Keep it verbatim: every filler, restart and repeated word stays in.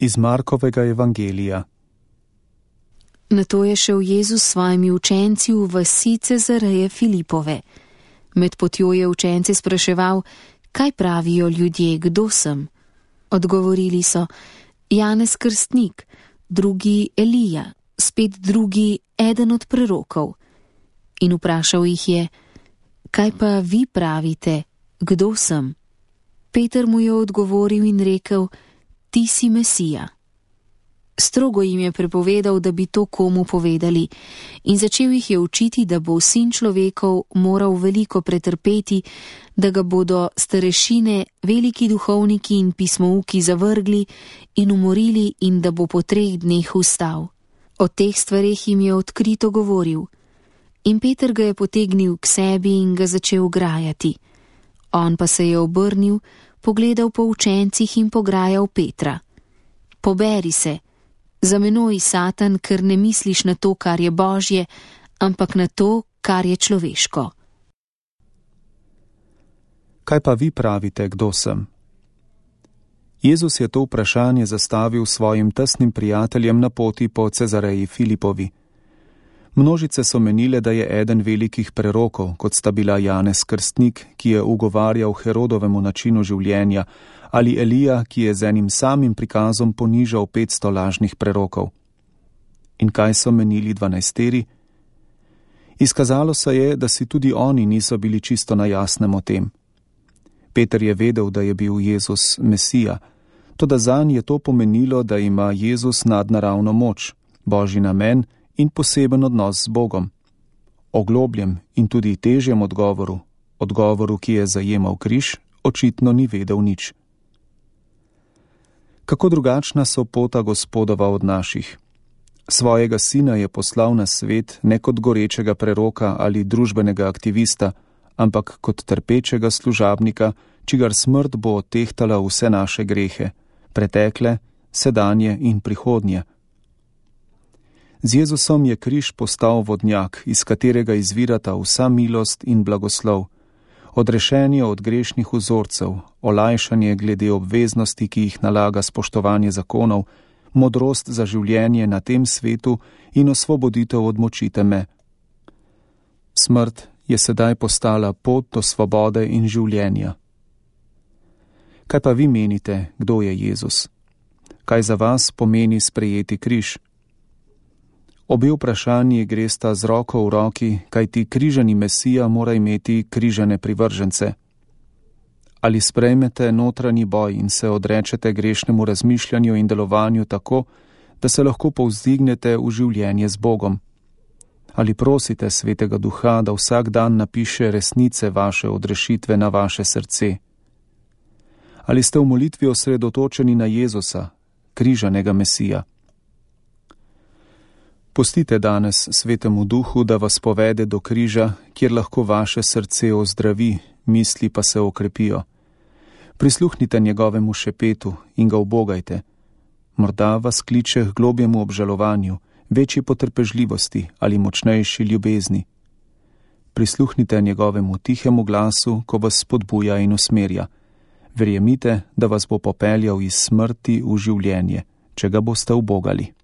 Iz Markovega evangelija. Nato je šel Jezus s svojimi učenci v vasi Cezareje Filipove. Med potjo je učence spraševal, kaj pravijo ljudje, kdo sem. Odgovorili so, Janez Krstnik, drugi Elija, spet drugi eden od prerokov. In vprašal jih je, kaj pa vi pravite, kdo sem? Peter mu je odgovoril in rekel, ti si Mesija. Strogo jim je prepovedal, da bi to komu povedali, in začel jih je učiti, da bo sin človekov moral veliko pretrpeti, da ga bodo starešine, veliki duhovniki in pismouki zavrgli in umorili in da bo po treh dneh vstal. O teh stvareh jim je odkrito govoril. In Peter ga je potegnil k sebi in ga začel grajati. On pa se je obrnil, pogledal po učencih in pograjal Petra. Poberi se, za menoj, Satan, ker ne misliš na to, kar je Božje, ampak na to, kar je človeško. Kaj pa vi pravite, kdo sem? Jezus je to vprašanje zastavil svojim tesnim prijateljem na poti po Cezareji Filipovi. Množice so menile, da je eden velikih prerokov, kot sta bila Janez Krstnik, ki je ugovarjal Herodovemu načinu življenja, ali Elija, ki je z enim samim prikazom ponižal petsto lažnih prerokov. In kaj so menili dvanajsteri? Izkazalo se je, da si tudi oni niso bili čisto na jasnem o tem. Peter je vedel, da je bil Jezus Mesija, toda zanj je to pomenilo, da ima Jezus nadnaravno moč, božji namen in poseben odnos z Bogom. O globljem in tudi težjem odgovoru, odgovoru, ki je zajemal križ, očitno ni vedel nič. Kako drugačna so pota Gospodova od naših. Svojega sina je poslal na svet ne kot gorečega preroka ali družbenega aktivista, ampak kot trpečega služabnika, čigar smrt bo odtehtala vse naše grehe, pretekle, sedanje in prihodnje. Z Jezusom je križ postal vodnjak, iz katerega izvirata vsa milost in blagoslov, odrešenje od grešnih vzorcev, olajšanje glede obveznosti, ki jih nalaga spoštovanje zakonov, modrost za življenje na tem svetu in osvoboditev od moči teme. Smrt je sedaj postala pot do svobode in življenja. Kaj pa vi menite, kdo je Jezus? Kaj za vas pomeni sprejeti križ? Obe vprašanji gresta z roko v roki, kajti križani Mesija mora imeti križane privržence. Ali sprejmete notranji boj in se odrečete grešnemu razmišljanju in delovanju tako, da se lahko povzdignete v življenje z Bogom? Ali prosite Svetega Duha, da vsak dan napiše resnice vaše odrešitve na vaše srce? Ali ste v molitvi osredotočeni na Jezusa, križanega Mesija? Pustite danes Svetemu Duhu, da vas povede do križa, kjer lahko vaše srce ozdravi, misli pa se okrepijo. Prisluhnite njegovemu šepetu in ga ubogajte. Morda vas kliče k globjemu obžalovanju, večji potrpežljivosti ali močnejši ljubezni. Prisluhnite njegovemu tihemu glasu, ko vas spodbuja in usmerja. Verjemite, da vas bo popeljal iz smrti v življenje, če ga boste ubogali.